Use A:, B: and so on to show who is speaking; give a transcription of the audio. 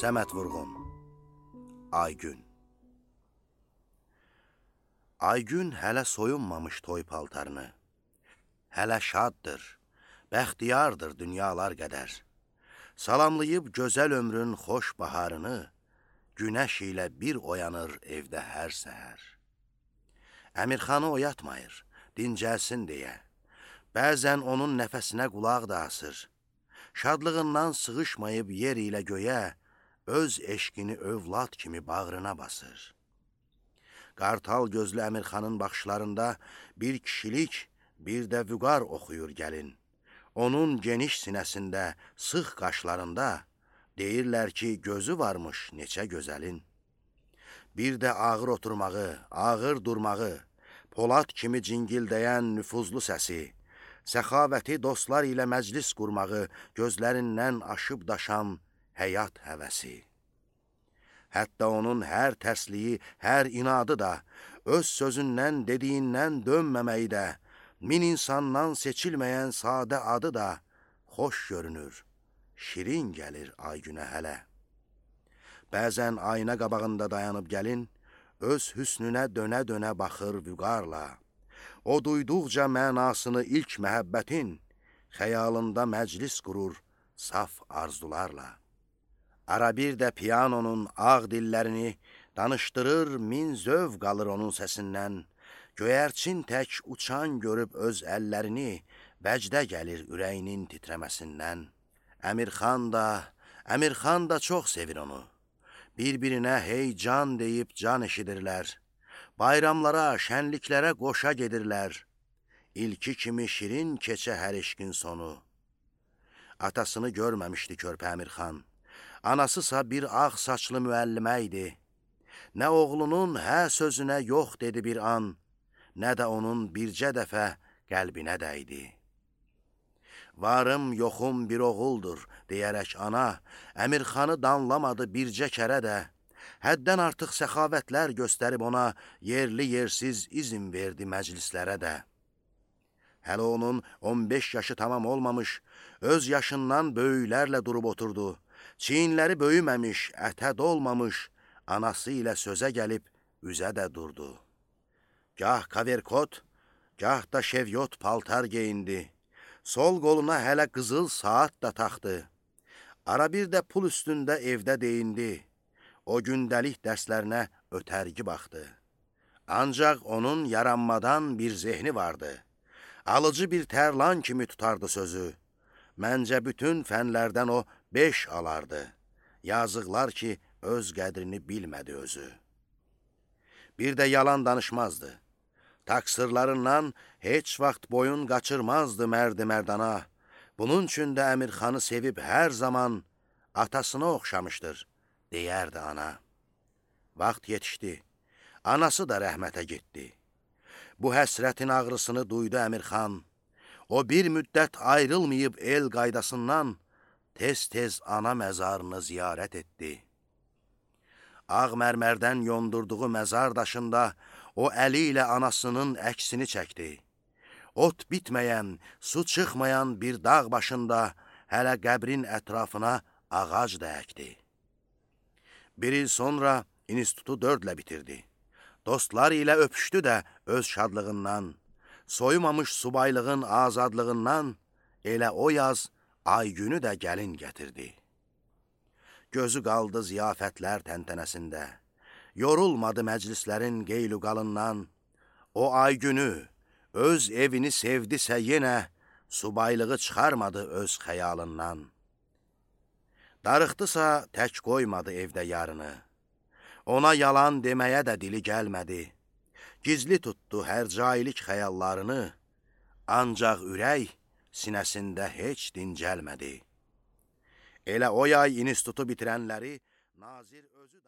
A: Səməd Vurğun, Aygün. Aygün hələ soyunmamış toy paltarını, hələ şaddır, bəxtiyardır dünyalar qədər. Salamlayıb gözəl ömrün xoş baharını, günəş ilə bir oyanır evdə hər səhər. Əmirxanı oyatmayır, dincəlsin deyə. Bəzən onun nəfəsinə qulaq da asır. Şadlığından sığışmayıb yer ilə göyə, öz eşqini övlad kimi bağrına basır. Qartal gözlü Əmirxanın baxışlarında bir kişilik, bir də vüqar oxuyur gəlin. Onun geniş sinəsində, sıx qaşlarında deyirlər ki, gözü varmış neçə gözəlin. Bir də ağır oturmağı, ağır durmağı, Polad kimi cingildəyən nüfuzlu səsi, səxavəti dostlar ilə məclis qurmağı, gözlərindən aşıb daşan həyat həvəsi. Hətta onun hər tərsliyi, hər inadı da, öz sözündən, dediyindən dönməməyi də, min insandan seçilməyən sadə adı da xoş görünür, şirin gəlir Aygünə hələ. Bəzən ayna qabağında dayanıb gəlin, öz hüsnünə dönə-dönə baxır vüqarla. O duyduqca mənasını ilk məhəbbətin, xəyalında məclis qurur saf arzularla. Ara bir də piyanonun ağ dillərini danışdırır, min zövq alır onun səsindən. Göyərçin tək uçan görüb öz əllərini, vəcdə gəlir ürəyinin titrəməsindən. Əmirxan da çox sevir onu. Bir-birinə hey can deyib can eşidirlər. Bayramlara, şənliklərə qoşa gedirlər. İlki kimi şirin keçə hər eşqin sonu. Atasını görməmişdi körpə Əmirxan. Anasısa bir ağ saçlı müəllimə idi. Nə oğlunun hə sözünə yox dedi bir an, nə də onun bircə dəfə qəlbinə dəydi. Varım, yoxum bir oğuldur, deyərək ana, Əmirxanı danlamadı bircə kərə də. Həddən artıq səxavətlər göstərib ona, yerli yersiz izin verdi məclislərə də. Hələ onun 15 yaşı tamam olmamış, öz yaşından böyüklərlə durub oturdu. Çiyinləri böyüməmiş, ətə dolmamış, anası ilə sözə gəlib üzə də durdu. Gah kaverkot, gah da şevyot paltar geyindi. Sol qoluna hələ qızıl saat da taxdı. Ara bir də pul üstündə evdə deyindi. O gündəlik dərslərinə ötərgi baxdı. Ancaq onun yaranmadan bir zehni vardı. Alıcı bir tərlan kimi tutardı sözü. Məncə bütün fənlərdən o 5 alardı. Yazıqlar ki, öz qədrini bilmədi özü. Bir də yalan danışmazdı. Taksırlarından heç vaxt boyun qaçırmazdı mərdi mərdana. Bunun üçün də Əmirxanı sevib hər zaman atasına oxşamışdır, deyərdi ana. Vaxt yetişdi, anası da rəhmətə getdi. Bu həsrətin ağrısını duydu Əmirxan. O bir müddət ayrılmayıb el qaydasından, tez-tez ana məzarını ziyarət etdi. Ağ mərmərdən yondurduğu məzar daşında o əli ilə anasının əksini çəkdi. Ot bitməyən, su çıxmayan bir dağ başında hələ qəbrin ətrafına ağac da əkdi. Bir il sonra institutu 4-lə bitirdi. Dostlar ilə öpüşdü də öz şadlığından, soyumamış subaylığın azadlığından elə o yaz Aygünü də gəlin gətirdi. Gözü qaldı ziyafətlər təntənəsində, yorulmadı məclislərin qeyluqalından. O Aygünü, öz evini sevdisə yenə, subaylığı çıxarmadı öz xəyalından. Darıxdısa tək qoymadı evdə yarını. Ona yalan deməyə də dili gəlmədi. Gizli tutdu hər cailik xəyallarını, ancaq ürək sinəsində heç dincəlmədi. Elə o yay institutu bitirənləri Nazir özü